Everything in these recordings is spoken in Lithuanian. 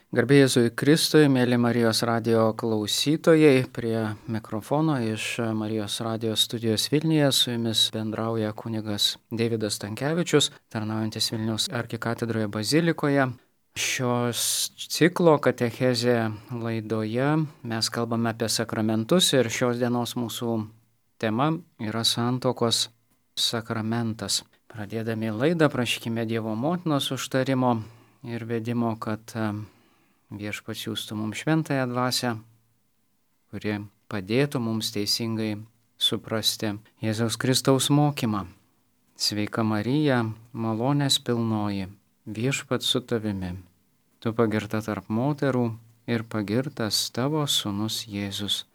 Garbė Jėzui Kristui, mėly Marijos radijo klausytojai, prie mikrofono iš Marijos radijo studijos Vilniuje su jumis bendrauja kunigas Deividas Stankevičius, tarnaujantis Vilniaus arkikatedroje bazilikoje. Šios ciklo katechezė laidoje mes kalbame apie sakramentus ir šios dienos mūsų tema yra santuokos sakramentas. Pradėdami laidą prašykime Dievo motinos užtarimo ir vedimo, kad Viešpats siųstų mums šventąją dvasią, kuri padėtų mums teisingai suprasti Jėzaus Kristaus mokymą. Sveika Marija, malonės pilnoji, Viešpats su tavimi. Tu pagirta tarp moterų ir pagirtas tavo sūnus Jėzus.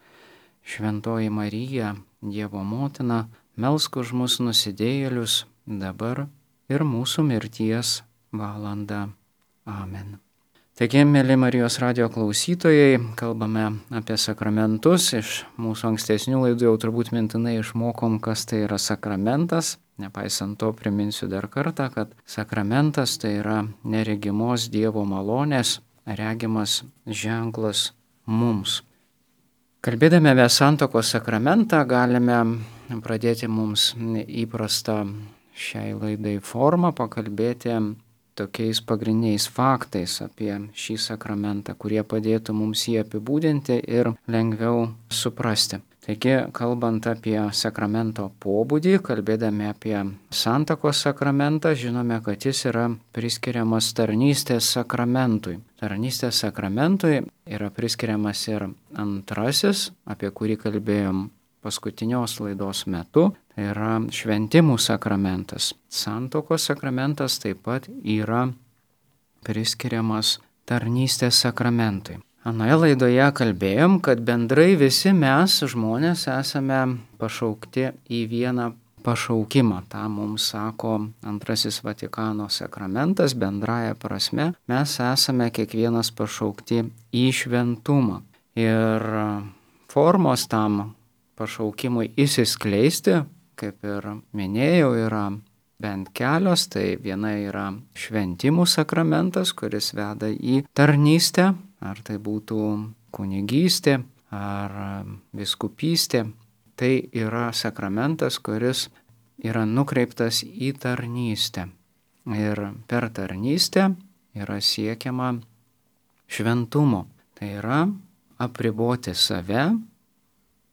Šventoji Marija, Dievo motina, melsk už mus nusidėjėlius dabar ir mūsų mirties valandą. Amen. Taigi, mėly Marijos radijo klausytojai, kalbame apie sakramentus. Iš mūsų ankstesnių laidų jau turbūt mintinai išmokom, kas tai yra sakramentas. Nepaisant to, priminsiu dar kartą, kad sakramentas tai yra neregimos Dievo malonės, regimas ženklas mums. Kalbėdami apie santuokos sakramentą, galime pradėti mums įprastą šiai laidai formą, pakalbėti tokiais pagrindiniais faktais apie šį sakramentą, kurie padėtų mums jį apibūdinti ir lengviau suprasti. Taigi, kalbant apie sakramento pobūdį, kalbėdami apie santuokos sakramentą, žinome, kad jis yra priskiriamas tarnystės sakramentui. Tarnystės sakramentui yra priskiriamas ir antrasis, apie kurį kalbėjom paskutinios laidos metu, tai yra šventimų sakramentas. Santuokos sakramentas taip pat yra priskiriamas tarnystės sakramentui. Anoje laidoje kalbėjom, kad bendrai visi mes, žmonės, esame pašaukti į vieną pašaukimą. Ta mums sako antrasis Vatikano sakramentas, bendraja prasme. Mes esame kiekvienas pašaukti į šventumą. Ir formos tam pašaukimui įsiskleisti, kaip ir minėjau, yra bent kelios. Tai viena yra šventimų sakramentas, kuris veda į tarnystę, ar tai būtų kunigystė ar vyskupystė. Tai yra sakramentas, kuris yra nukreiptas į tarnystę. Ir per tarnystę yra siekiama šventumo. Tai yra apriboti save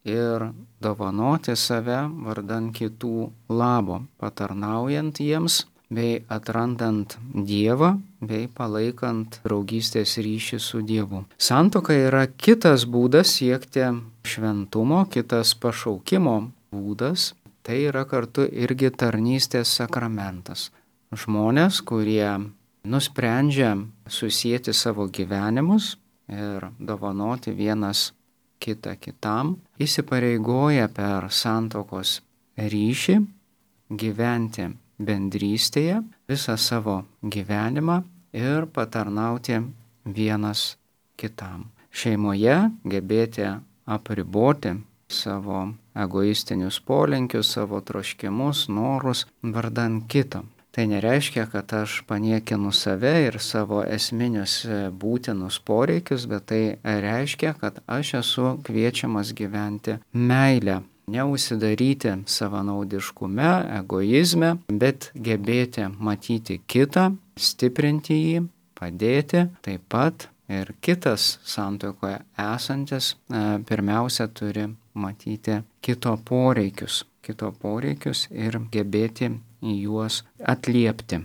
ir dovanoti save vardan kitų labo, patarnaujant jiems bei atrandant Dievą bei palaikant draugystės ryšį su Dievu. Santuoka yra kitas būdas siekti šventumo, kitas pašaukimo būdas, tai yra kartu irgi tarnystės sakramentas. Žmonės, kurie nusprendžia susijęti savo gyvenimus ir dovanoti vienas kitą kitam, įsipareigoja per santuokos ryšį gyventi bendrystėje visą savo gyvenimą ir patarnauti vienas kitam. Šeimoje gebėti apriboti savo egoistinius polinkius, savo troškimus, norus vardan kito. Tai nereiškia, kad aš paniekinu save ir savo esminius būtinus poreikius, bet tai reiškia, kad aš esu kviečiamas gyventi meilę, neužsidaryti savanaudiškume, egoizme, bet gebėti matyti kitą, stiprinti jį, padėti. Taip pat ir kitas santuokoje esantis pirmiausia turi matyti kito poreikius ir gebėti į juos atliepti.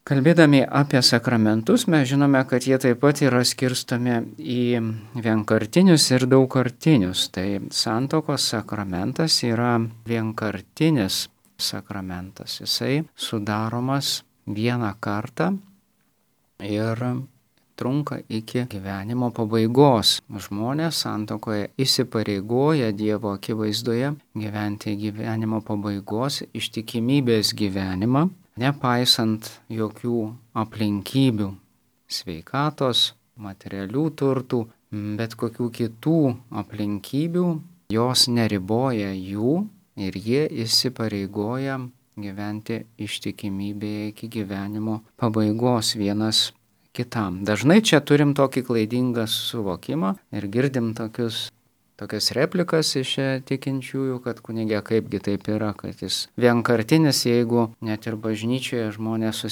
Kalbėdami apie sakramentus, mes žinome, kad jie taip pat yra skirstomi į vienkartinius ir daugkartinius. Tai santuokos sakramentas yra vienkartinis sakramentas. Jisai sudaromas vieną kartą ir trunka iki gyvenimo pabaigos. Žmonės santuokoje įsipareigoja Dievo akivaizdoje gyventi gyvenimo pabaigos ištikimybės gyvenimą, nepaisant jokių aplinkybių, sveikatos, materialių turtų, bet kokių kitų aplinkybių, jos neriboja jų ir jie įsipareigoja gyventi ištikimybėje iki gyvenimo pabaigos vienas kitam. Dažnai čia turim tokį klaidingą suvokimą ir girdim tokias replikas iš tikinčiųjų, kad kunigė kaipgi taip yra, kad jis vienkartinis, jeigu net ir bažnyčioje žmonės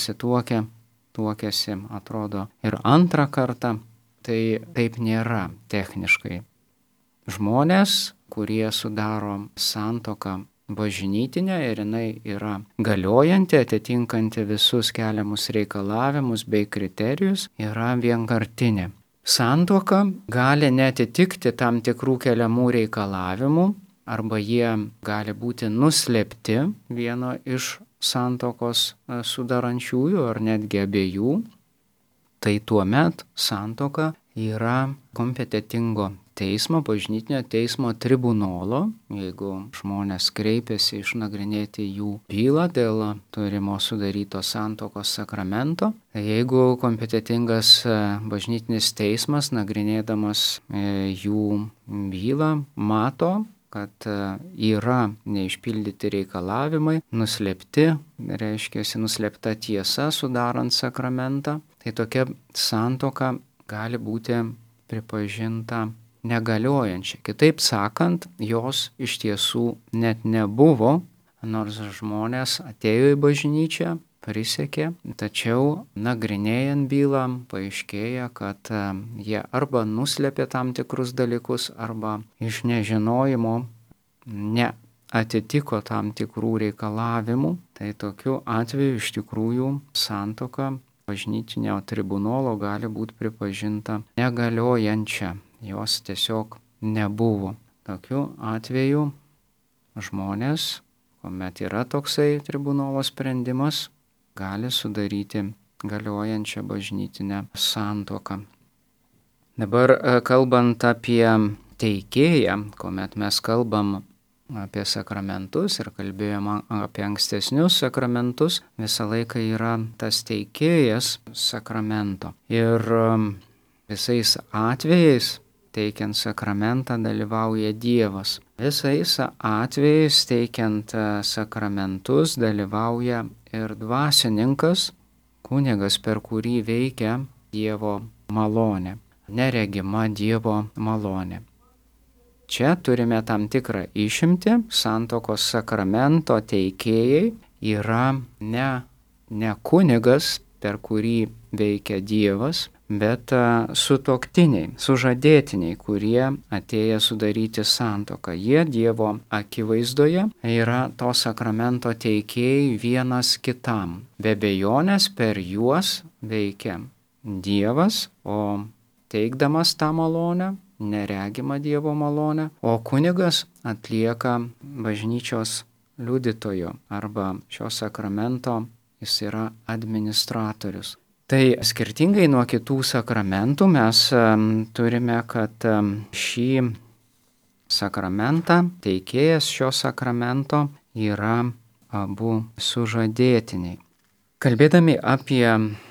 tuokiasi, atrodo, ir antrą kartą, tai taip nėra techniškai. Žmonės, kurie sudaro santuoką bažnytinę ir jinai yra galiojanti, atitinkanti visus keliamus reikalavimus bei kriterijus, yra vienkartinė. Santuoka gali netitikti tam tikrų keliamų reikalavimų arba jie gali būti nuslėpti vieno iš santuokos sudarančiųjų ar netgi abiejų. Tai tuomet santuoka yra kompetentingo teismo, bažnytinio teismo tribunolo, jeigu žmonės kreipiasi išnagrinėti jų bylą dėl turimo sudaryto santuokos sakramento. Jeigu kompetentingas bažnytinis teismas, nagrinėdamas jų bylą, mato, kad yra neišpildyti reikalavimai, nuslėpti, nuslėpta tiesa sudarant sakramentą, tai tokia santuoka gali būti pripažinta negaliojančia. Kitaip sakant, jos iš tiesų net nebuvo, nors žmonės atėjo į bažnyčią, prisiekė, tačiau nagrinėjant bylą paaiškėja, kad jie arba nuslėpė tam tikrus dalykus, arba iš nežinojimo neatitiko tam tikrų reikalavimų. Tai tokiu atveju iš tikrųjų santuoka bažnytinio tribunolo gali būti pripažinta negaliojančia. Jos tiesiog nebuvo. Tokiu atveju žmonės, kuomet yra toksai tribunolo sprendimas, gali sudaryti galiojančią bažnytinę santuoką. Dabar kalbant apie teikėją, kuomet mes kalbam apie sakramentus ir kalbėjom apie ankstesnius sakramentus, visą laiką yra tas teikėjas sakramento. Ir visais atvejais teikiant sakramentą dalyvauja Dievas. Visais atvejais teikiant sakramentus dalyvauja ir dvasininkas, kunigas, per kurį veikia Dievo malonė, neregima Dievo malonė. Čia turime tam tikrą išimtį. Santuokos sakramento teikėjai yra ne kunigas, per kurį veikia Dievas, bet sutuoktiniai, sužadėtiniai, kurie atėję sudaryti santuoką. Jie Dievo akivaizdoje yra to sakramento teikėjai vienas kitam. Be abejonės per juos veikia Dievas, o teikdamas tą malonę, neregimą Dievo malonę, o kunigas atlieka bažnyčios liudytojo arba šio sakramento, jis yra administratorius. Tai skirtingai nuo kitų sakramentų mes turime, kad šį sakramentą, teikėjas šio sakramento yra abu sužadėtiniai. Kalbėdami apie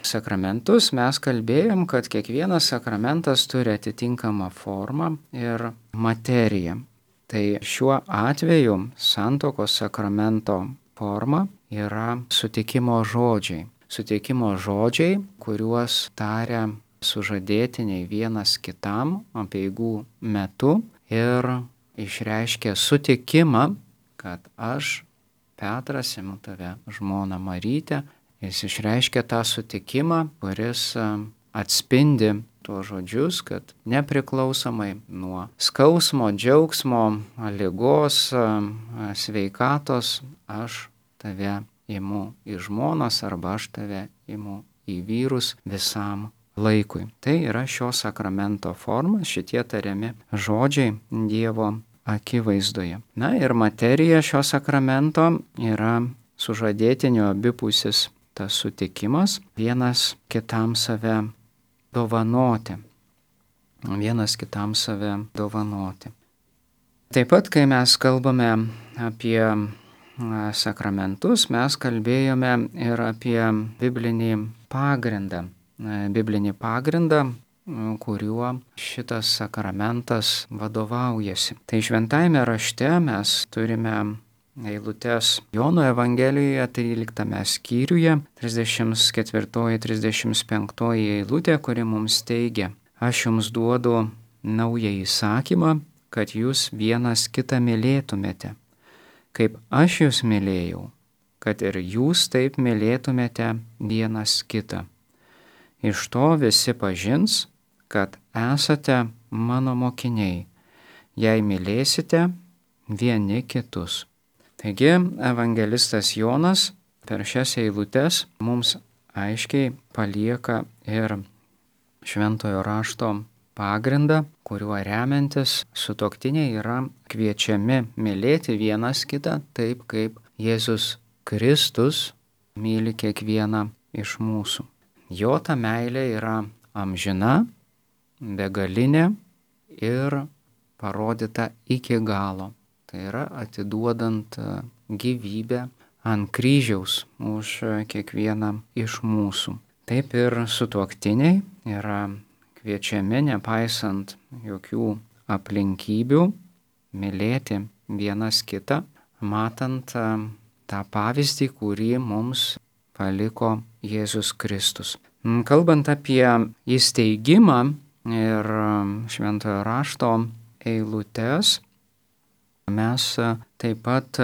sakramentus, mes kalbėjom, kad kiekvienas sakramentas turi atitinkamą formą ir materiją. Tai šiuo atveju santuokos sakramento forma yra sutikimo žodžiai. Sutikimo žodžiai, kuriuos taria sužadėtiniai vienas kitam apeigų metu ir išreiškia sutikimą, kad aš, Petras, imu tave žmoną Marytę. Jis išreiškia tą sutikimą, kuris atspindi tuos žodžius, kad nepriklausomai nuo skausmo, džiaugsmo, ligos, sveikatos, aš tave imu į žmonas arba aš tave imu į vyrus visam laikui. Tai yra šio sakramento forma, šitie tariami žodžiai Dievo akivaizdoje. Na ir materija šio sakramento yra sužadėtinio abipusis tas sutikimas, vienas kitam save dovanoti. Vienas kitam save dovanoti. Taip pat, kai mes kalbame apie sakramentus, mes kalbėjome ir apie biblinį pagrindą. Biblinį pagrindą, kuriuo šitas sakramentas vadovaujasi. Tai šventajame rašte mes turime eilutes Jono Evangelijoje 13 skyriuje, 34-35 eilutė, kuri mums teigia: Aš jums duodu naują įsakymą, kad jūs vienas kitą mylėtumėte. Kaip aš jūs mylėjau, kad ir jūs taip mylėtumėte vienas kitą. Iš to visi pažins, kad esate mano mokiniai, jei mylėsite vieni kitus. Taigi, evangelistas Jonas per šias eilutes mums aiškiai palieka ir šventojo rašto pagrindą, kuriuo remiantis sutuoktiniai yra kviečiami mylėti vienas kitą taip, kaip Jėzus Kristus myli kiekvieną iš mūsų. Jo ta meilė yra amžina, begalinė ir parodyta iki galo. Tai yra atiduodant gyvybę ant kryžiaus už kiekvieną iš mūsų. Taip ir sutuoktiniai yra kviečiami, nepaisant jokių aplinkybių, mylėti vienas kitą, matant tą pavyzdį, kurį mums paliko Jėzus Kristus. Kalbant apie įsteigimą ir šventojo rašto eilutes, mes taip pat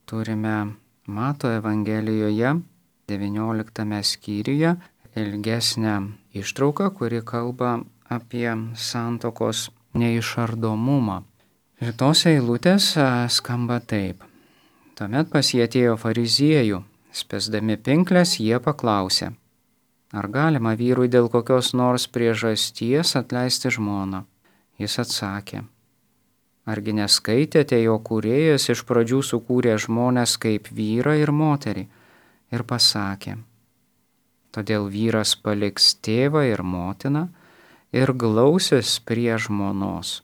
turime Mato Evangelijoje 19 skyriuje ilgesnę ištrauką, kuri kalba apie santuokos neišardomumą. Ir tos eilutės skamba taip. Tuomet pas jį atėjo fariziejų, spęsdami pinkles jie paklausė: Ar galima vyrui dėl kokios nors priežasties atleisti žmoną? Jis atsakė: Argi neskaitėte, jo kūrėjas iš pradžių sukūrė žmones kaip vyrą ir moterį ir pasakė: Todėl vyras paliks tėvą ir motiną ir glausis prie žmonos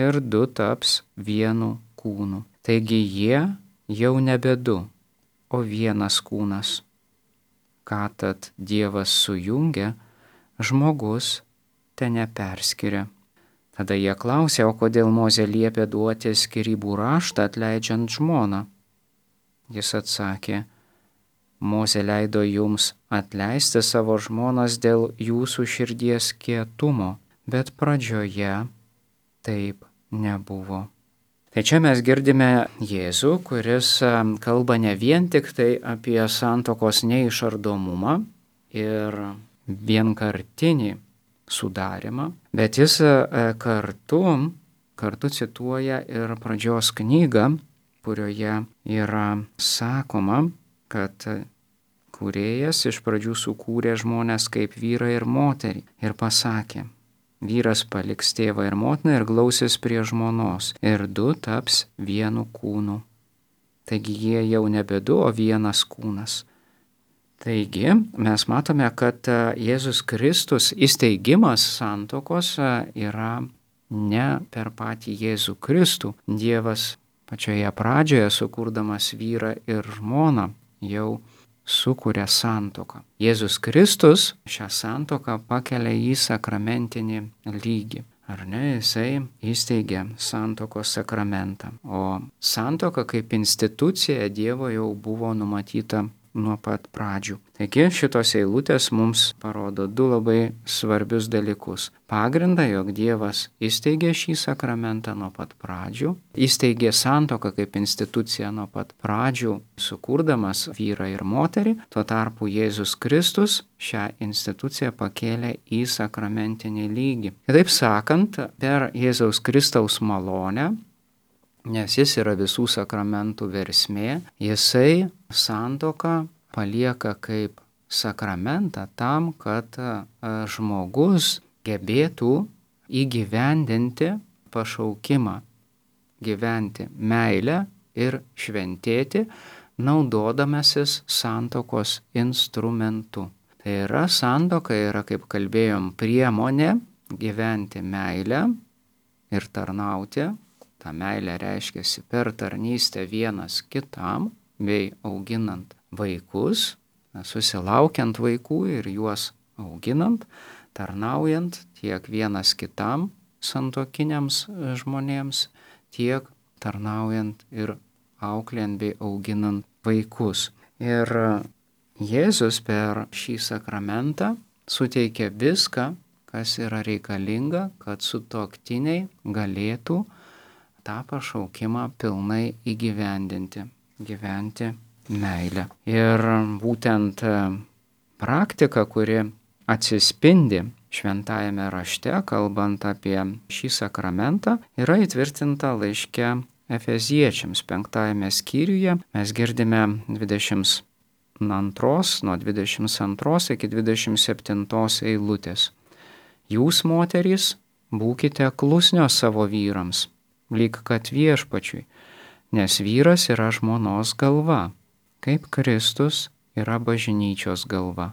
ir du taps vienu kūnu. Taigi jie jau nebe du, o vienas kūnas. Ką tad Dievas sujungė, žmogus te neperskiria. Tada jie klausė: O kodėl Mozė liepė duoti skyrybų raštą atleidžiant žmoną? Jis atsakė: Mozė leido jums atleisti savo žmonas dėl jūsų širdies kietumo, bet pradžioje taip nebuvo. Tai čia mes girdime Jėzų, kuris kalba ne vien tik tai apie santuokos neišardomumą ir vienkartinį sudarimą, bet jis kartu cituoja ir pradžios knygą, kurioje yra sakoma, kad kūrėjas iš pradžių sukūrė žmones kaip vyrą ir moterį ir pasakė: Vyras paliks tėvą ir motiną ir glausis prie žmonos ir du taps vienu kūnu. Taigi jie jau nebe du, o vienas kūnas. Taigi mes matome, kad Jėzus Kristus įsteigimas santuokos yra ne per patį Jėzų Kristų. Dievas pačioje pradžioje, sukurdamas vyrą ir žmoną, jau sukuria santuoką. Jėzus Kristus šią santuoką pakelia į sakramentinį lygį. Ar ne, jisai įsteigė santuokos sakramentą. O santuoka kaip institucija Dievo jau buvo numatyta nuo pat pradžių. Taigi šitos eilutės mums parodo du labai svarbius dalykus. Pagrindą, jog Dievas įsteigė šį sakramentą nuo pat pradžių, įsteigė santuoką kaip instituciją nuo pat pradžių, sukurdamas vyrą ir moterį, tuo tarpu Jėzus Kristus šią instituciją pakėlė į sakramentinį lygį. Kitaip sakant, per Jėzaus Kristaus malonę, nes jis yra visų sakramentų versmė, jisai santuoką palieka kaip sakramentą tam, kad žmogus gebėtų įgyvendinti pašaukimą, gyventi meilę ir šventėti, naudodamasis santuokos instrumentu. Tai yra santuoka, yra, kaip kalbėjom, priemonė gyventi meilę ir tarnauti. Ta meilė reiškiasi per tarnystę vienas kitam, bei auginant vaikus, susilaukiant vaikų ir juos auginant, tarnaujant tiek vienas kitam santuokiniams žmonėms, tiek tarnaujant ir auklėjant bei auginant vaikus. Ir Jėzus per šį sakramentą suteikia viską, kas yra reikalinga, kad sutuoktiniai galėtų tą pašaukimą pilnai įgyvendinti, gyventi meilę. Ir būtent praktika, kuri atsispindi šventajame rašte, kalbant apie šį sakramentą, yra įtvirtinta laiške Efeziečiams 5 skyriuje. Mes girdime 22 nuo 22 iki 27 eilutės. Jūs, moterys, būkite klusnios savo vyrams, lyg kad viešpačiui, nes vyras yra žmonos galva, kaip Kristus yra bažnyčios galva.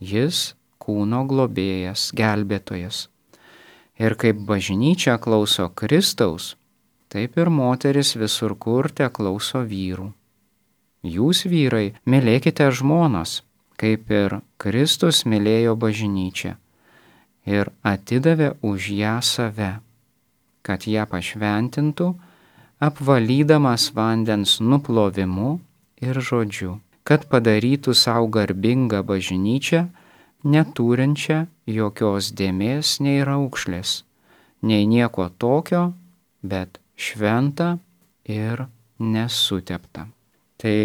Jis kūno globėjas, gelbėtojas. Ir kaip bažnyčia klauso Kristaus, taip ir moteris visur kur teklauso vyrų. Jūs, vyrai, mylėkite žmonas, kaip ir Kristus mylėjo bažnyčią ir atidavė už ją save, kad ją pašventintų, apvalydamas vandens nuplovimu ir žodžiu, kad padarytų savo garbingą bažnyčią, neturinčią jokios dėmės nei raukšlės, nei nieko tokio, bet šventą ir nesuteptą. Tai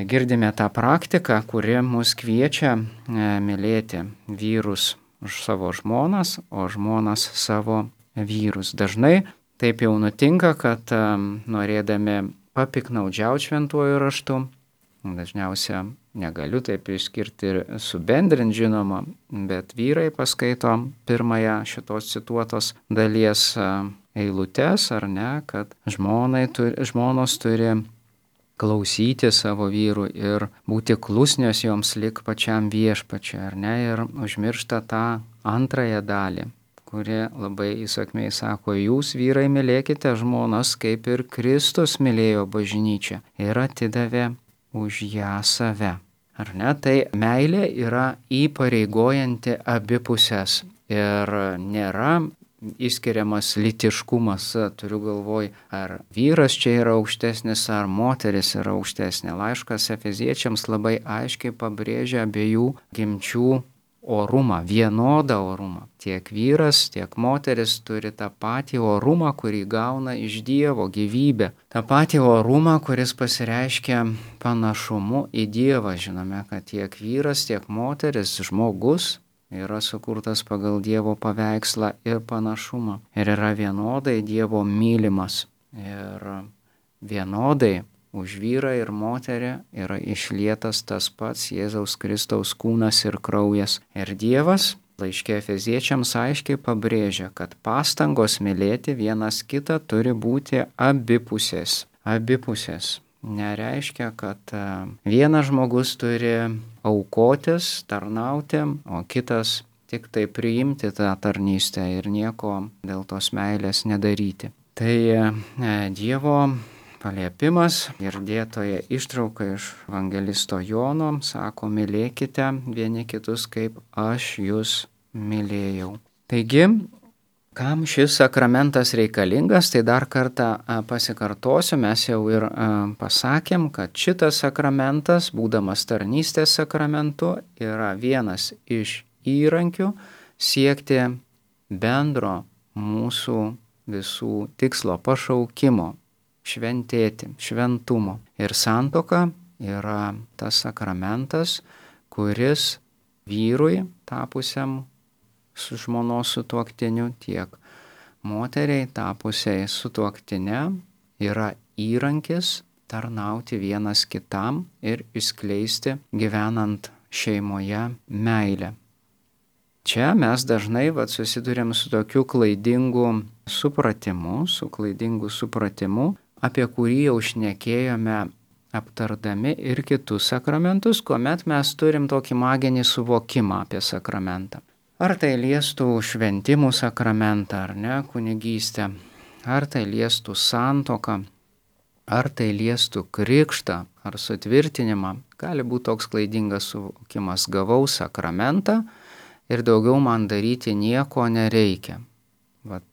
girdime tą praktiką, kuri mus kviečia mylėti vyrus už savo žmonas, o žmonas savo vyrus. Dažnai taip jau nutinka, kad norėdami papiknaudžiauti šventuoju raštu, dažniausiai negaliu taip išskirti ir subendrinti, žinoma, bet vyrai paskaito pirmąją šitos cituotos dalies eilutes, ar ne, kad žmonos turi klausyti savo vyrų ir būti klusnios joms lik pačiam viešpačiui, ar ne, ir užmiršta tą antrąją dalį, kuri labai įsakmiai sako, jūs, vyrai, mylėkite žmonas, kaip ir Kristus mylėjo bažnyčią ir atidavė už ją save. Ar ne? Tai meilė yra įpareigojanti abi pusės ir nėra išskiriamas lytiškumas, turiu galvoj, ar vyras čia yra aukštesnis, ar moteris yra aukštesnė. Laiškas Efeziečiams labai aiškiai pabrėžia abiejų gimčių orumą, vienodą orumą. Tiek vyras, tiek moteris turi tą patį orumą, kurį gauna iš Dievo, gyvybę. tą patį orumą, kuris pasireiškia panašumu į Dievą. Žinome, kad tiek vyras, tiek moteris, žmogus yra sukurtas pagal Dievo paveikslą ir panašumą. Ir yra vienodai Dievo mylimas. Ir vienodai už vyrą ir moterį yra išlietas tas pats Jėzaus Kristaus kūnas ir kraujas. Ir Dievas laiške Efeziečiams aiškiai pabrėžia, kad pastangos mylėti vienas kitą turi būti abipusės. Abipusės. Nereiškia, kad vienas žmogus turi aukotis, tarnauti, o kitas tik tai priimti tą tarnystę ir nieko dėl tos meilės nedaryti. Tai Dievo paliepimas ir dėtoje ištrauka iš evangelisto Jono sako, mylėkite vieni kitus, kaip aš jūs mylėjau. Taigi, kam šis sakramentas reikalingas, tai dar kartą pasikartosiu, mes jau ir pasakėm, kad šitas sakramentas, būdamas tarnystės sakramentu, yra vienas iš įrankių siekti bendro mūsų visų tikslo pašaukimo. Šventėti, šventumo. Ir santuoka yra tas sakramentas, kuris vyrui tapusiam su žmonos sutuoktiniu, tiek moteriai tapusiai sutuoktinė yra įrankis tarnauti vienas kitam ir išskleisti gyvenant šeimoje meilę. Čia mes dažnai susidurėm su tokiu klaidingu supratimu, apie kurį jau šnekėjome aptardami ir kitus sakramentus, kuomet mes turim tokį maginį suvokimą apie sakramentą. Ar tai liestų šventimų sakramentą, ar ne, kunigystę, ar tai liestų santuoką, ar tai liestų krikštą, ar sutvirtinimą. Gali būti toks klaidingas suvokimas, gavau sakramentą ir daugiau man daryti nieko nereikia.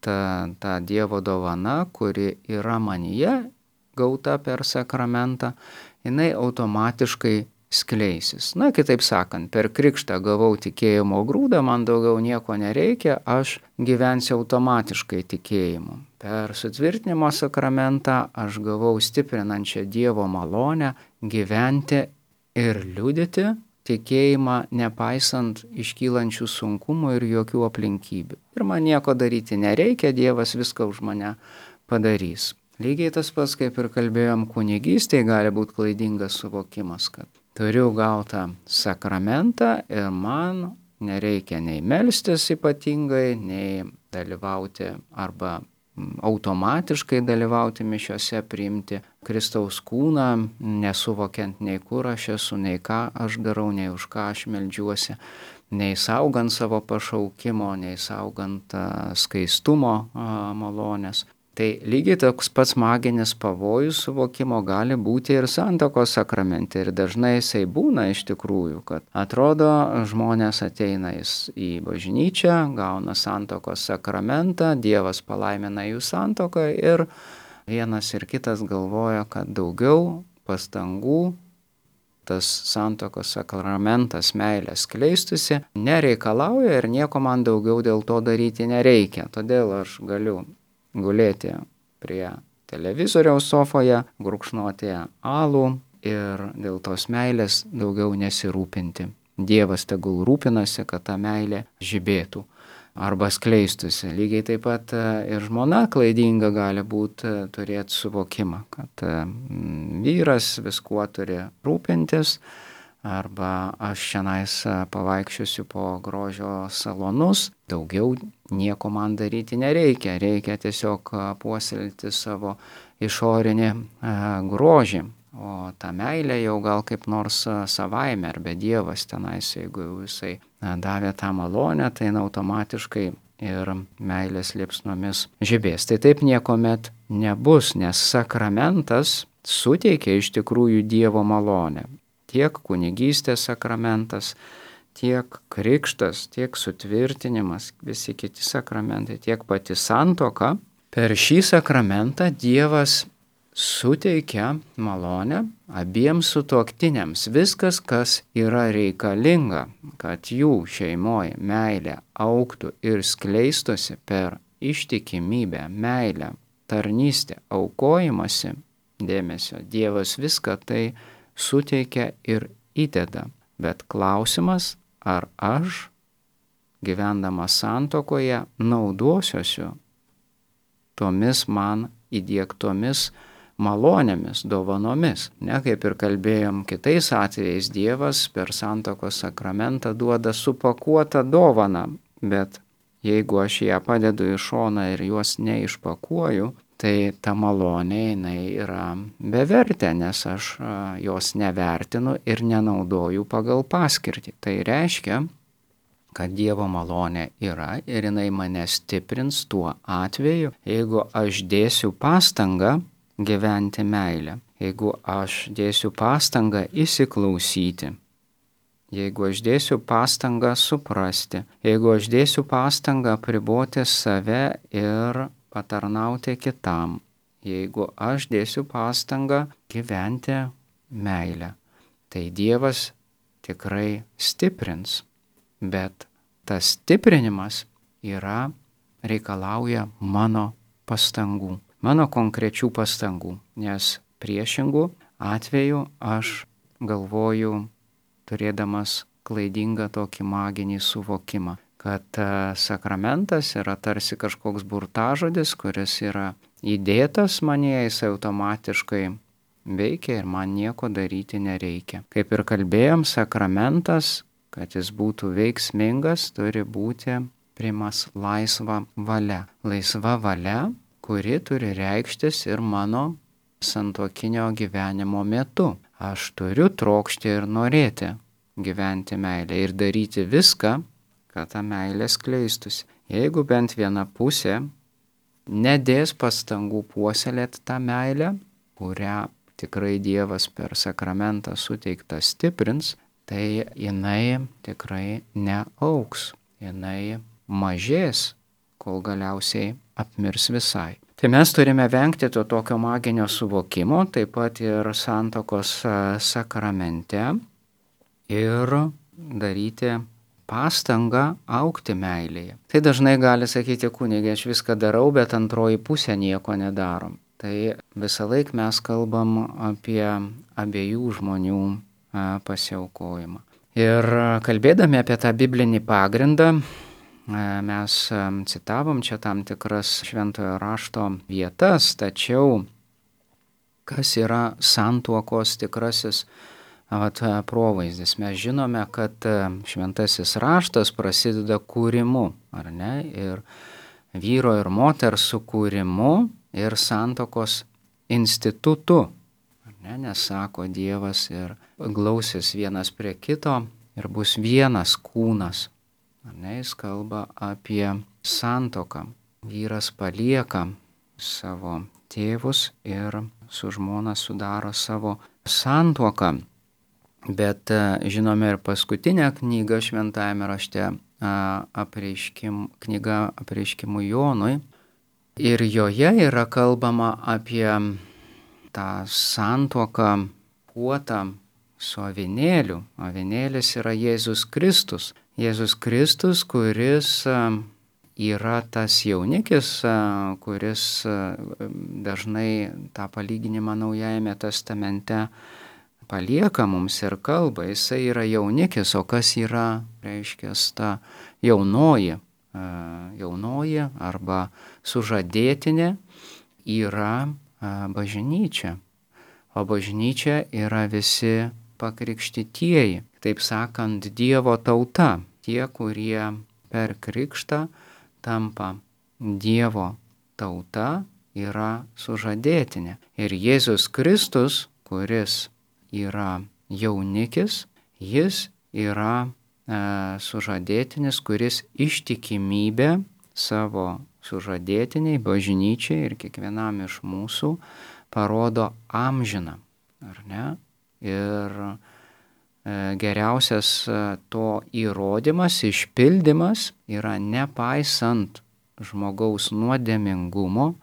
Ta Dievo dovana, kuri yra manyje, gauta per sakramentą, jinai automatiškai skleisis. Na, kitaip sakant, per krikštą gavau tikėjimo grūdą, man daugiau nieko nereikia, aš gyvensiu automatiškai tikėjimu. Per sutvirtinimo sakramentą aš gavau stiprinančią Dievo malonę gyventi ir liudyti tikėjimą nepaisant iškylančių sunkumų ir jokių aplinkybių. Ir man nieko daryti nereikia, Dievas viską už mane padarys. Lygiai tas pats, kaip ir kalbėjom, kunigystėje gali būti klaidingas suvokimas, kad turiu gautą sakramentą ir man nereikia nei melstis ypatingai, nei dalyvauti arba automatiškai dalyvauti mišiose, priimti Kristaus kūną, nesuvokiant nei kur aš esu, nei ką aš darau, nei už ką aš meldžiuosi, nei saugant savo pašaukimo, nei saugant skaistumo malonės. Tai lygiai toks pats maginis pavojus suvokimo gali būti ir santuokos sakramente. Ir dažnai jisai būna iš tikrųjų, kad atrodo žmonės ateina į bažnyčią, gauna santuokos sakramentą, Dievas palaimina jų santuoką ir vienas ir kitas galvoja, kad daugiau pastangų tas santuokos sakramentas meilės skleistusi nereikalauja ir nieko man daugiau dėl to daryti nereikia. Todėl aš galiu gulėti prie televizoriaus sofoje, gurkšnoti alų ir dėl tos meilės daugiau nesirūpinti. Dievas tegul rūpinasi, kad ta meilė žibėtų arba skleistusi. Lygiai taip pat ir žmona klaidinga gali būti turėti suvokimą, kad vyras viskuo turi rūpintis, arba aš šiandien pavaikščiosiu po grožio salonus, daugiau nieko man daryti nereikia, reikia tiesiog puoselėti savo išorinį grožį, o ta meilė jau gal kaip nors savaime, arba Dievas tenais, jeigu jisai davė tą malonę, tai automatiškai ir meilės liepsnomis žibės. Tai taip niekuomet nebus, nes sakramentas suteikia iš tikrųjų Dievo malonę. Tiek kunigystės sakramentas, tiek krikštas, tiek sutvirtinimas, visi kiti sakramentai, tiek pati santuoka. Per šį sakramentą Dievas suteikia malonę abiems sutuoktiniams. Viskas, kas yra reikalinga, kad jų šeimoje meilė augtų ir skleistusi per ištikimybę, meilę, tarnystę, aukojimąsi dėmesio. Dievas viską tai suteikia ir įdeda. Bet klausimas, ar aš, gyvendamas santuokoje, naudosiuosiu tomis man įdiegtomis malonėmis, dovanomis. Ne, kaip ir kalbėjom kitais atvejais, Dievas per santuokos sakramentą duoda supakuotą dovaną, bet jeigu aš ją padedu į šoną ir juos neišpakuoju, tai ta malonė jinai yra bevertė, nes aš jos nevertinu ir nenaudoju pagal paskirtį. Tai reiškia, kad Dievo malonė yra ir jinai mane stiprins tuo atveju, jeigu aš dėsiu pastangą gyventi meilę, jeigu aš dėsiu pastangą įsiklausyti, jeigu aš dėsiu pastangą suprasti, jeigu aš dėsiu pastangą apriboti save ir patarnauti kitam, jeigu aš dėsiu pastangą gyventi meilę, tai Dievas tikrai stiprins, bet tas stiprinimas reikalauja mano pastangų, mano konkrečių pastangų, nes priešingų atveju aš galvoju, turėdamas klaidingą tokį maginį suvokimą, kad sakramentas yra tarsi kažkoks burtažodis, kuris yra įdėtas manyje, jis automatiškai veikia ir man nieko daryti nereikia. Kaip ir kalbėjom, sakramentas, kad jis būtų veiksmingas, turi būti priimamas laisva valia. Laisva valia, kuri turi reikštis ir mano santuokinio gyvenimo metu. Aš turiu trokšti ir norėti gyventi meilę ir daryti viską, kad ta meilė skleistusi. Jeigu bent viena pusė nedės pastangų puoselėti tą meilę, kurią tikrai Dievas per sakramentą suteiktą stiprins, tai jinai tikrai neaugs, jinai mažės, kol galiausiai apmirs visai. Tai mes turime vengti to tokio maginio suvokimo, taip pat ir santuokos sakramente ir daryti pastangą augti meilėje. Tai dažnai gali sakyti kunigė, aš viską darau, bet antroji pusė nieko nedarom. Tai visą laiką mes kalbam apie abiejų žmonių pasiaukojimą. Ir kalbėdami apie tą biblinį pagrindą, mes citavom čia tam tikras šventojo rašto vietas, tačiau kas yra santuokos tikrasis provaizdis? Mes žinome, kad šventasis raštas prasideda kūrimu, ar ne? Ir vyro ir moters sukūrimu ir santuokos institutu. Ar ne? Nes sako Dievas ir glausis vienas prie kito ir bus vienas kūnas. Ar ne? Jis kalba apie santuoką. Vyras palieka savo tėvus ir su žmona sudaro savo santuoką. Bet žinome ir paskutinę knygą šventajame rašte, knyga apreiškimų Jonui. Ir joje yra kalbama apie tą santuoką puotą su avinėliu. Avinėlis yra Jėzus Kristus. Jėzus Kristus, kuris yra tas jaunikis, kuris dažnai tą palyginimą Naujajame testamente palieka mums ir kalba. Jisai yra jaunikis, o kas yra, reiškia, ta jaunoji arba sužadėtinė yra bažnyčia. O bažnyčia yra visi pakrikštytieji. Taip sakant, Dievo tauta. Tie, kurie per krikštą tampa Dievo tauta, yra sužadėtinė. Ir Jėzus Kristus, kuris yra jaunikis, jis yra sužadėtinis, kuris ištikimybę savo sužadėtiniai, bažnyčiai ir kiekvienam iš mūsų parodo amžiną, ar ne? Ir geriausias to įrodymas, išpildymas yra nepaisant žmogaus nuodėmingumo,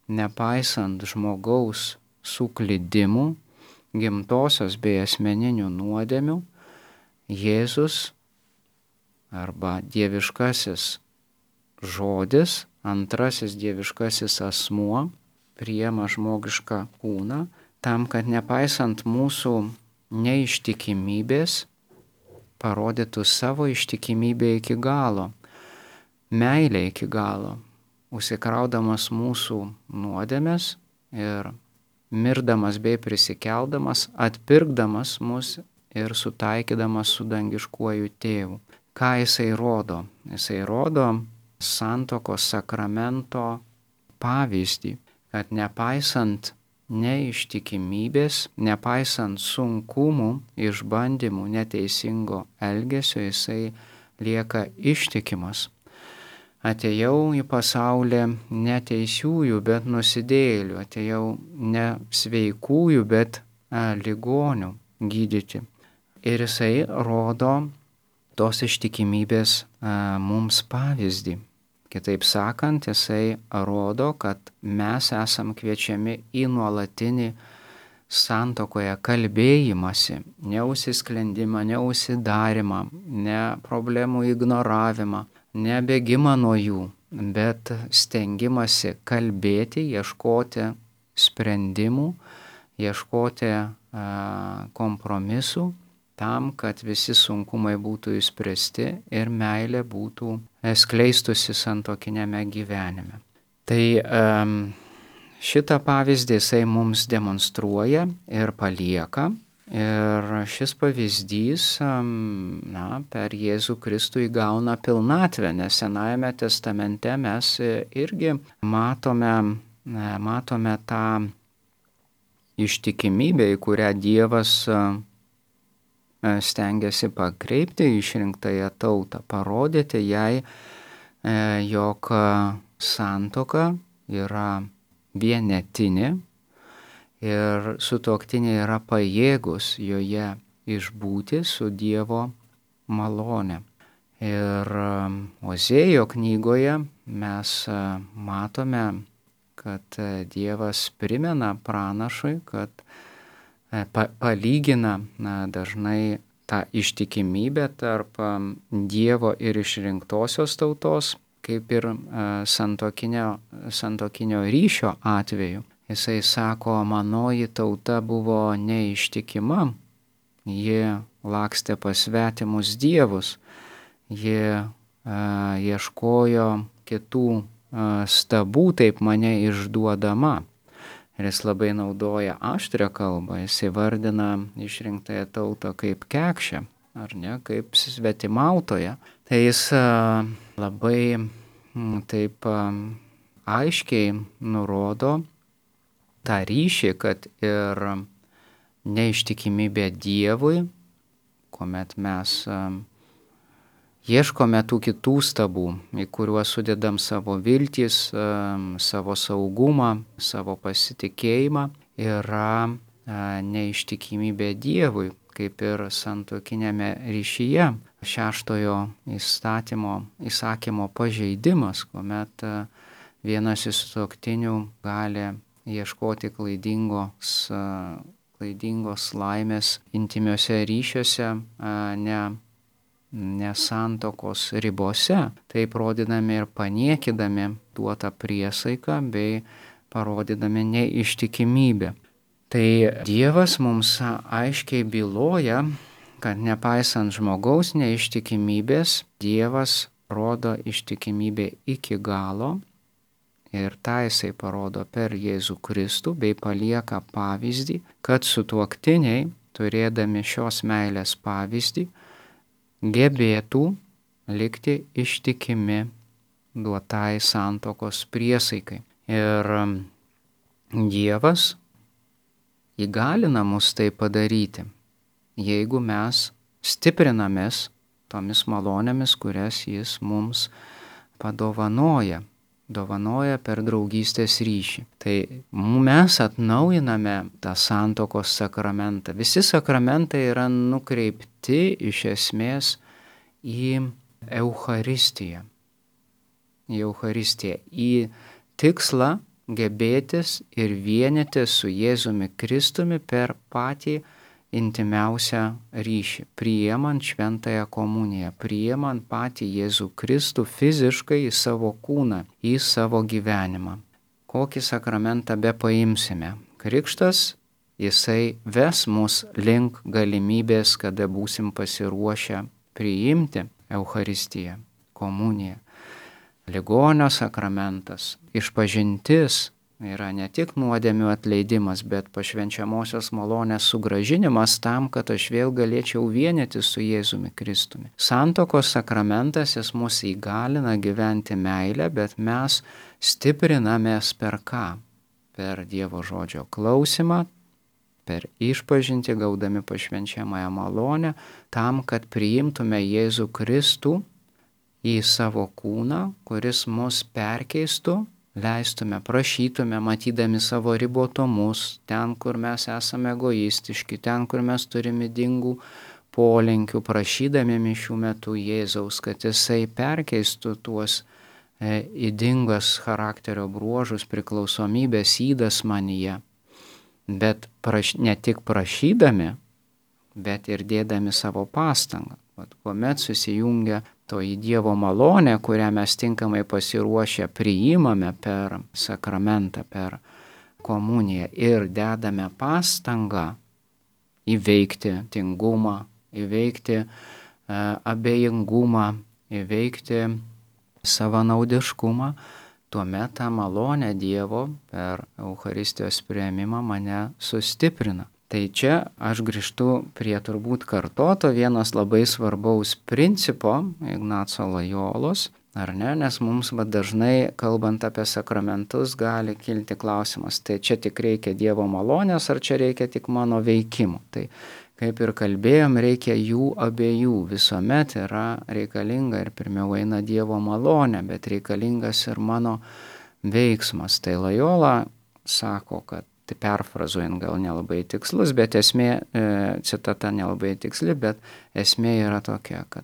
nepaisant žmogaus suklydimų, gimtosios bei asmeninių nuodėmių, Jėzus arba dieviškasis žodis, antrasis dieviškasis asmuo priima žmogišką kūną tam, kad nepaisant mūsų neištikimybės parodytų savo ištikimybę iki galo, meilę iki galo, užsikraudamas mūsų nuodėmes ir mirdamas bei prisikeldamas, atpirkdamas mus ir sutaikydamas su dangiškuoju tėvu. Ką jisai rodo? Jisai rodo santuokos sakramento pavyzdį, kad nepaisant neištikimybės, nepaisant sunkumų, išbandymų, neteisingo elgesio, jisai lieka ištikimas. Atėjau į pasaulį ne teisiųjų, bet nusidėjėlių, atėjau ne sveikųjų, bet ligonių gydyti. Ir jisai rodo tos ištikimybės mums pavyzdį. Kitaip sakant, jisai rodo, kad mes esam kviečiami į nuolatinį santuokoje kalbėjimąsi, neužsisklendimą, neužsidarimą, ne problemų ignoravimą, ne bėgimą nuo jų, bet stengimąsi kalbėti, ieškoti sprendimų, ieškoti kompromisų tam, kad visi sunkumai būtų išspręsti ir meilė būtų skleistusi santuokinėme gyvenime. Tai šitą pavyzdį jisai mums demonstruoja ir palieka. Ir šis pavyzdys per Jėzų Kristų įgauna pilnatvę, nes Senajame testamente mes irgi matome tą ištikimybę, į kurią Dievas stengiasi pakreipti išrinktąją tautą, parodyti jai, jog santuoka yra vienetinė ir sutuoktiniai yra pajėgus joje išbūti su Dievo malone. Ir Ozėjo knygoje mes matome, kad Dievas primena pranašui, kad palygina dažnai tą ištikimybę tarp Dievo ir išrinktosios tautos, kaip ir santuokinio ryšio atveju. Jisai sako, manoji tauta buvo neištikima, ji lakstė pas svetimus dievus, ji ieškojo kitų stabų, taip mane išduodama. Ir jis labai naudoja aštrią kalbą, jis įvardina išrinktąją tautą kaip kekšę, ar ne, kaip svetimautoją. Tai jis labai taip aiškiai nurodo tą ryšį, kad ir neištikimybė Dievui, kuomet mes ieškome tų kitų stabų, į kuriuos sudedam savo viltis, savo saugumą, savo pasitikėjimą, yra neištikimybė Dievui, kaip ir santuokinėme ryšyje, 6-ojo įsakymo pažeidimas, kuomet vienas iš sutuoktinių gali ieškoti klaidingos laimės intimiuose ryšiuose, ne santuokos ribose, taip rodydami ir paniekydami duotą priesaiką bei parodydami neištikimybę. Tai Dievas mums aiškiai byloja, kad nepaisant žmogaus neištikimybės, Dievas rodo ištikimybę iki galo ir tą jisai parodo per Jėzų Kristų bei palieka pavyzdį, kad sutuoktiniai, turėdami šios meilės pavyzdį, gebėtų likti ištikimi duotai santuokos priesaikai. Ir Dievas įgalina mus tai padaryti, jeigu mes stiprinamės tomis malonėmis, kurias Jis mums padovanoja per draugystės ryšį. Tai mes atnaujiname tą santuokos sakramentą. Visi sakramentai yra nukreipti iš esmės į Eucharistiją. Į tikslą gebėtis ir vienytis su Jėzumi Kristumi per patį intimiausią ryšį, priimant šventąją komuniją, priimant patį Jėzų Kristų fiziškai į savo kūną, į savo gyvenimą. Kokį sakramentą be paimsime, krikštas, jisai ves mus link galimybės, kada būsim pasiruošę priimti Eucharistiją, komuniją. Ligonio sakramentas, išpažintis yra ne tik nuodėmių atleidimas, bet pašvenčiamosios malonės sugrąžinimas tam, kad aš vėl galėčiau vienyti su Jėzumi Kristumi. Santuokos sakramentas, jis mus įgalina gyventi meilę, bet mes stiprinamės per ką? Per Dievo žodžio klausimą, per išpažintį gaudami pašvenčiamąją malonę, tam, kad priimtume Jėzų Kristų į savo kūną, kuris mus perkeistų, leistume, prašytume, matydami savo ribotumus, ten, kur mes esame egoistiški, ten, kur mes turime ydingų polinkių, prašydami mišių metu Jėzaus, kad Jisai perkeistų tuos ydingas charakterio bruožus, priklausomybės ydas manyje. Bet ne tik prašydami, bet ir dėdami savo pastangą. Kuomet susijungia toji Dievo malonė, kurią mes tinkamai pasiruošę priimame per sakramentą, per komuniją ir dedame pastangą įveikti tingumą, įveikti abejingumą, įveikti savanaudiškumą, tuomet tą malonę Dievo per Eucharistijos priėmimą mane sustiprina. Tai čia aš grįžtu prie turbūt kartoto vienas labai svarbaus principo Ignaco Lojolos, ar ne, nes mums dažnai, kalbant apie sakramentus, gali kilti klausimas, tai čia tik reikia Dievo malonės, ar čia reikia tik mano veikimų. Tai kaip ir kalbėjom, reikia jų abiejų, visuomet yra reikalinga ir pirmiau eina Dievo malonė, bet reikalingas ir mano veiksmas. Tai Lojola sako, kad perfrazuojant gal nelabai tikslus, bet esmė, citata nelabai tiksli, bet esmė yra tokia, kad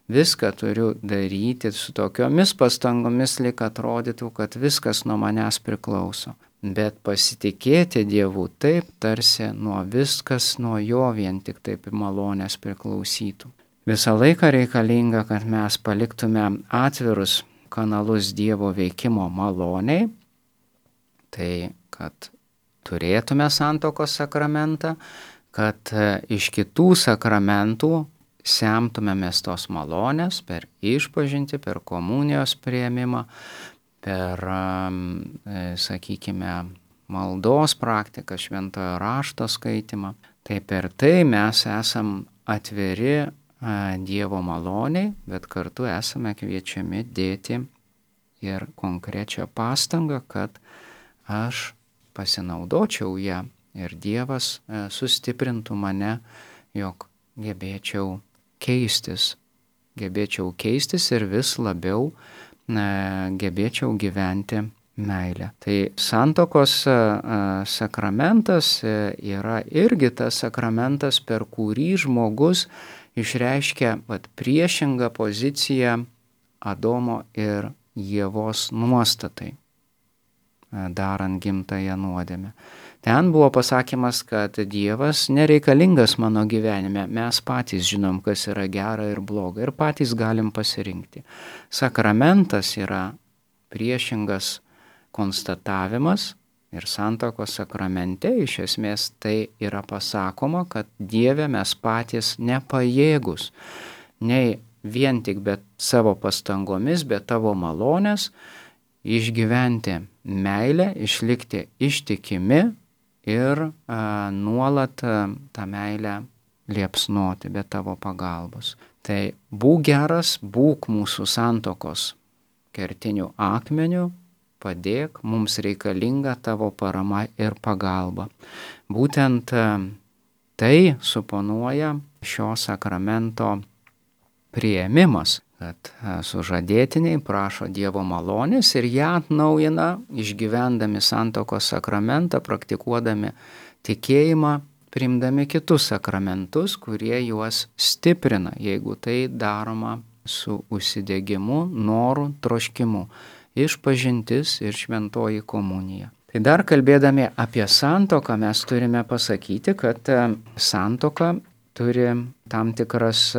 viską turiu daryti su tokiomis pastangomis, lyg atrodytų, kad viskas nuo manęs priklauso. Bet pasitikėti Dievu taip, tarsi viskas nuo jo vien tik taip malonės priklausytų. Visą laiką reikalinga, kad mes paliktume atvirus kanalus Dievo veikimo maloniai, tai kad turėtume santuokos sakramentą, kad iš kitų sakramentų semtumėmės tos malonės per išpažintį, per komunijos priėmimą, per, sakykime, maldos praktiką, šventojo rašto skaitimą. Tai per tai mes esam atviri Dievo maloniai, bet kartu esame kviečiami dėti ir konkrečią pastangą, kad aš pasinaudočiau ją ir Dievas sustiprintų mane, jog gebėčiau keistis ir vis labiau gebėčiau gyventi meilę. Tai santuokos sakramentas yra irgi tas sakramentas, per kurį žmogus išreiškia priešingą poziciją Adomo ir Ievos nuostatai, darant gimtąją nuodėmę. Ten buvo pasakymas, kad Dievas nereikalingas mano gyvenime, mes patys žinom, kas yra gera ir bloga ir patys galim pasirinkti. Sakramentas yra priešingas konstatavimas ir santuokos sakramente iš esmės tai yra pasakoma, kad Dieve mes patys nepajėgus, nei vien tik bet savo pastangomis, bet tavo malonės, išgyventi meilę, išlikti ištikimi ir nuolat tą meilę liepsnoti be tavo pagalbos. Tai būk geras, būk mūsų santuokos kertiniu akmeniu, padėk, mums reikalinga tavo parama ir pagalba. Būtent tai suponuoja šio sakramento priėmimas, kad sužadėtiniai prašo Dievo malonės ir ją atnaujina, išgyvendami santuokos sakramentą, praktikuodami tikėjimą, priimdami kitus sakramentus, kurie juos stiprina, jeigu tai daroma su užsidegimu, noru, troškimu. Išpažintis ir šventoji komunija. Tai dar kalbėdami apie santuoką mes turime pasakyti, kad santuoka turi tam tikras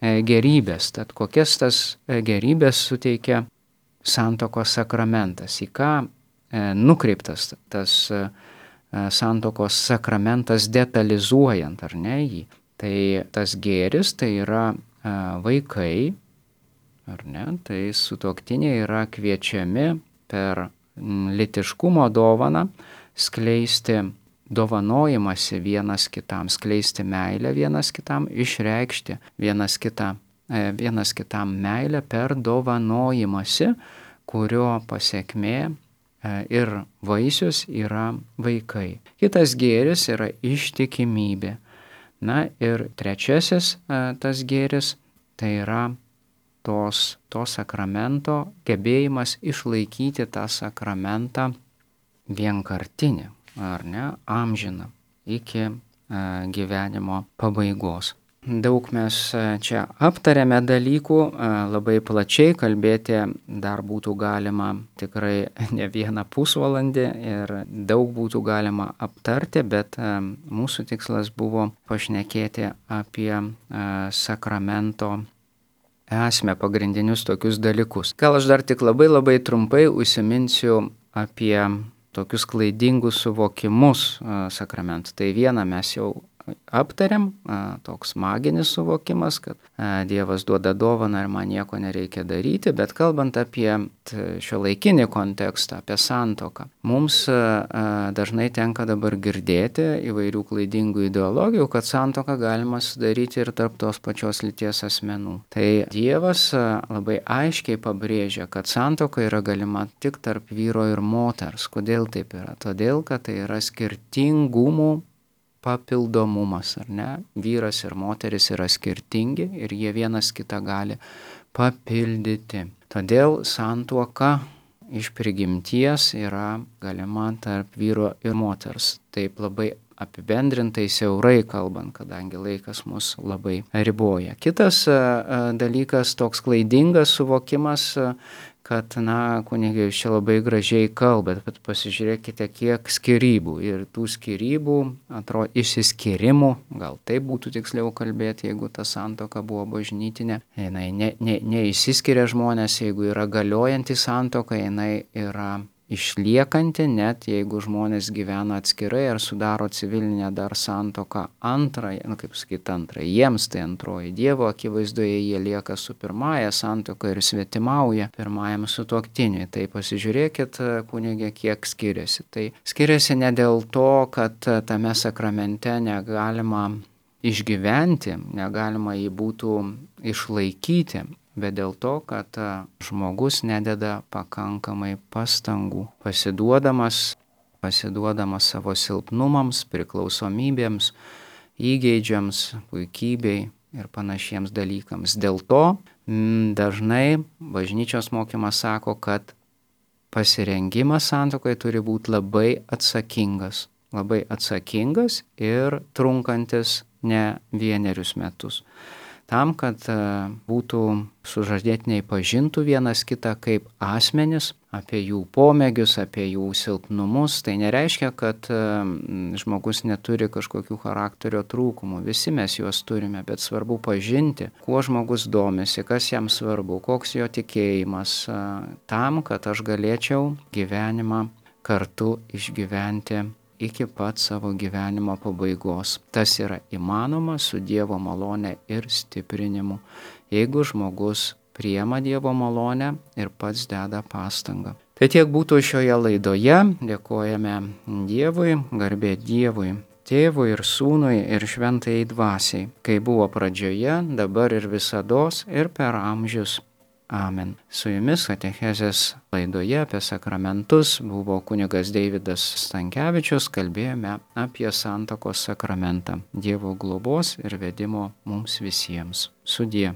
gerybės. Tad kokias tas gerybės suteikia santuokos sakramentas, į ką nukreiptas tas santuokos sakramentas detalizuojant, ar ne jį. Tai tas gėris tai yra vaikai, ar ne, tai sutuoktiniai yra kviečiami per lytiškumo dovaną skleisti dovanojimąsi vienas kitam, skleisti meilę vienas kitam, išreikšti vienas kitam meilę per dovanojimąsi, kurio pasekmė ir vaisius yra vaikai. Kitas gėris yra ištikimybė. Na ir trečiasis tas gėris tai yra to sakramento gebėjimas išlaikyti tą sakramentą vienkartinį, ar ne, amžiną, iki gyvenimo pabaigos. Daug mes čia aptarėme dalykų, labai plačiai kalbėti dar būtų galima tikrai ne vieną pusvalandį ir daug būtų galima aptarti, bet mūsų tikslas buvo pašnekėti apie sakramento esmę, pagrindinius tokius dalykus. Gal aš dar tik labai trumpai užsiminsiu apie tokius klaidingus suvokimus sakramentų. Tai vieną mes jau aptariam, toks maginis suvokimas, kad Dievas duoda dovaną ir man nieko nereikia daryti, bet kalbant apie šiuolaikinį kontekstą, apie santuoką, mums dažnai tenka dabar girdėti įvairių klaidingų ideologijų, kad santuoką galima sudaryti ir tarp tos pačios lyties asmenų. Tai Dievas labai aiškiai pabrėžia, kad santuoka yra galima tik tarp vyro ir moters. Kodėl taip yra? Todėl, kad tai yra skirtingumų papildomumas, ar ne? Vyras ir moteris yra skirtingi ir jie vienas kitą gali papildyti. Todėl santuoka iš prigimties yra galima tarp vyro ir moters. Taip labai apibendrintai siaurai kalbant, kadangi laikas mus labai riboja. Kitas dalykas, toks klaidingas suvokimas, kad, kunige, jūs čia labai gražiai kalbat, bet pasižiūrėkite, kiek skyrybų. Ir tų skyrybų, atrodo, išsiskyrimų, gal taip būtų tiksliau kalbėti, jeigu ta santuoka buvo bažnytinė. Jinai neišsiskiria žmonės, jeigu yra galiojanti santuoka, jinai yra išliekanti, net jeigu žmonės gyvena atskirai ar sudaro civilinę dar santuoką antrąją, jiems tai antroji. Dievo akivaizdoje jie lieka su pirmąja santuoka ir svetimauja pirmajam sutuoktiniui. Tai pasižiūrėkit, kunige, kiek skiriasi. Tai skiriasi ne dėl to, kad tame sakramente negalima išgyventi, negalima jį būtų išlaikyti, bet dėl to, kad žmogus nededa pakankamai pastangų, pasiduodamas savo silpnumams, priklausomybėms, įgeidžiams, puikybei ir panašiems dalykams. Dėl to dažnai bažnyčios mokymas sako, kad pasirengimas santuokai turi būti labai atsakingas ir trunkantis ne vienerius metus. Tam, kad būtų sužadėtiniai pažintų vienas kitą kaip asmenis, apie jų pomėgius, apie jų silpnumus. Tai nereiškia, kad žmogus neturi kažkokių charakterio trūkumų. Visi mes juos turime, bet svarbu pažinti, kuo žmogus domisi, kas jam svarbu, koks jo tikėjimas, tam, kad aš galėčiau gyvenimą kartu išgyventi iki pat savo gyvenimo pabaigos. Tas yra įmanoma su Dievo malone ir stiprinimu, jeigu žmogus priima Dievo malonę ir pats deda pastangą. Tai tiek būtų šioje laidoje. Dėkojame Dievui, garbė Dievui, Tėvui ir Sūnui ir Šventajai Dvasiai, kai buvo pradžioje, dabar ir visados ir per amžius. Amen. Su jumis katechezės laidoje apie sakramentus buvo kunigas Deividas Stankevičius, kalbėjome apie santuokos sakramentą. Dievo globos ir vedimo mums visiems. Sudie.